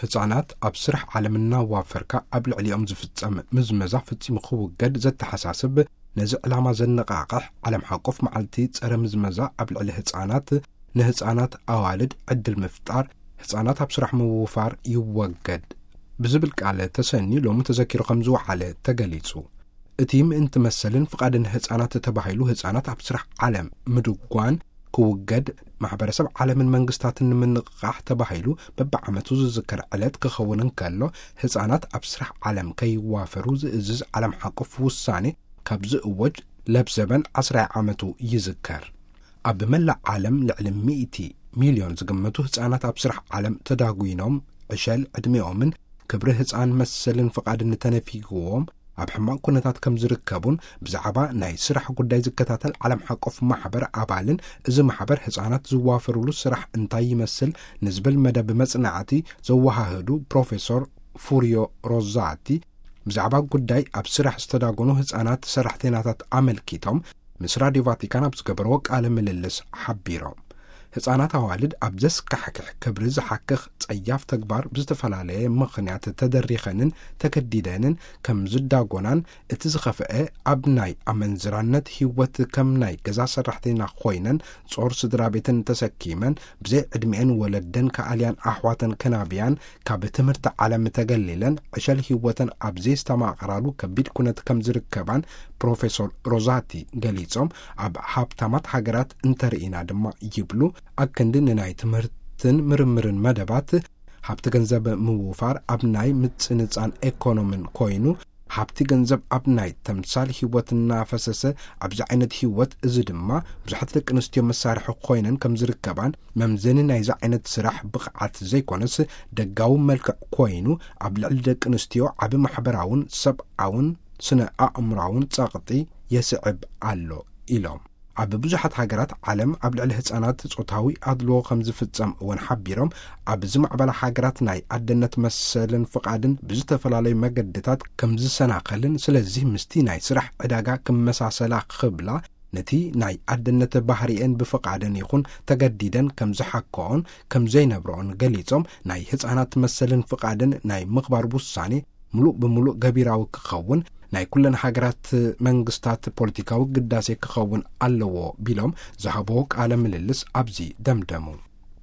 ህጻናት ኣብ ስራሕ ዓለም እናዋፈርካ ኣብ ልዕሊኦም ዝፍጸም ምዝመዛ ፈጺሙ ክውገድ ዘተሓሳስብ፣ ነዚ ዕላማ ዘነቓቕሕ ዓለም ሓቆፍ መዓልቲ ጸረ ምዝመዛ ኣብ ልዕሊ ህጻናት፣ ንህጻናት ኣዋልድ ዕድል ምፍጣር፣ ህጻናት ኣብ ስራሕ ምውፋር ይወገድ ብዝብል ቃል ተሰንዩ ሎሚ ተዘኪሩ ከም ዝወዓለ ተገሊጹ። እቲ ምእንቲ መሰልን ፍቓድን ህጻናት ተባሂሉ ህጻናት ኣብ ስራሕ ዓለም ምድጓን ክውገድ፣ ማሕበረሰብ ዓለምን መንግስታትን ንምንቕቓሕ ተባሂሉ በብዓመቱ ዝዝከር ዕለት ክኸውን እንከሎ፣ ህጻናት ኣብ ስራሕ ዓለም ከይዋፈሩ ዝእዝዝ ዓለም ሓቆፍ ውሳኔ ካብ ዝእወጅ ለብዘበን ዓስራይ ዓመቱ ይዝከር። ኣብ መላእ ዓለም ልዕሊ ሚእቲ ሚልዮን ዝግመቱ ህጻናት ኣብ ስራሕ ዓለም ተዳጒኖም፣ ዕሸል ዕድሜኦምን ክብሪ ህጻን መሰልን ፍቓድን ተነፊግዎም ኣብ ሕማቕ ኩነታት ከም ዝርከቡን ብዛዕባ ናይ ስራሕ ጉዳይ ዝከታተል ዓለም ሓቆፍ ማሕበር ኣባልን፣ እዚ ማሕበር ህጻናት ዝዋፈሩሉ ስራሕ እንታይ ይመስል ንዝብል መደብ መጽናዕቲ ዘወሃህዱ ፕሮፌሶር ፉሪዮ ሮዛቲ፣ ብዛዕባ ጉዳይ ኣብ ስራሕ ዝተዳጎኑ ህጻናት ሰራሕተኛታት ኣመልኪቶም ምስ ራድዮ ቫቲካን ኣብ ዝገበርዎ ቃለ ምልልስ ሓቢሮም። ህጻናት ኣዋልድ ኣብ ዘስካሕክሕ ክብሪ ዝሓክኽ ጸያፍ ተግባር ብዝተፈላለየ ምኽንያት ተደሪኸንን ተገዲደንን ከም ዝዳጎናን፣ እቲ ዝኸፍአ ኣብ ናይ ኣመንዝራነት ህይወት ከም ናይ ገዛ ሰራሕተኛ ኮይነን ጾር ስድራ ቤተን ተሰኪመን ብዘይ ዕድሚኤን ወለደን ከኣልያን ኣሕዋተን ከናብያን ካብ ትምህርቲ ዓለም ተገሊለን ዕሸል ህይወተን ኣብ ዘየስተማቕራሉ ከቢድ ኩነት ከም ዝርከባን ፕሮፌሶር ሮዛቲ ገሊጾም፣ ኣብ ሃብታማት ሃገራት እንተርኢና ድማ ይብሉ፣ ኣክንዲ ንናይ ትምህርትን ምርምርን መደባት ሃብቲ ገንዘብ ምውፋር ኣብ ናይ ምጽንጻን ኤኮኖምን ኮይኑ፣ ሃብቲ ገንዘብ ኣብ ናይ ተምሳል ህይወት እናፈሰሰ፣ ኣብዚ ዓይነት ህይወት እዚ ድማ ብዙሓት ደቂ ኣንስትዮ መሳርሒ ኮይነን ከም ዝርከባን፣ መምዘኒ ናይዚ ዓይነት ስራሕ ብቕዓት ዘይኮነስ ደጋዊ መልክዕ ኮይኑ ኣብ ልዕሊ ደቂ ኣንስትዮ ዓቢ ማሕበራውን ሰብኣውን ስነ ኣእምራውን ጸቕጢ የስዕብ ኣሎ ኢሎም። ኣብ ብዙሓት ሃገራት ዓለም ኣብ ልዕሊ ህጻናት ጾታዊ ኣድልዎ ከም ዝፍጸም እውን ሓቢሮም፣ ኣብ ዝማዕበላ ሃገራት ናይ ኣደነት መሰልን ፍቓድን ብዝተፈላለዩ መገድታት ከም ዝሰናኸልን፣ ስለዚህ ምስቲ ናይ ስራሕ ዕዳጋ ክመሳሰላ ክብላ፣ ነቲ ናይ ኣደነት ባህሪኤን ብፍቓደን ይኹን ተገዲደን ከም ዝሓክኦን ከም ዘይነብረኦን ገሊጾም፣ ናይ ህጻናት መሰልን ፍቓድን ናይ ምኽባር ውሳኔ ምሉእ ብምሉእ ገቢራዊ ክኸውን ናይ ኩለን ሃገራት መንግስታት ፖለቲካዊ ግዳሴ ክኸውን ኣለዎ ቢሎም ዝሃብዎ ቃለ ምልልስ ኣብዚ ደምደሙ።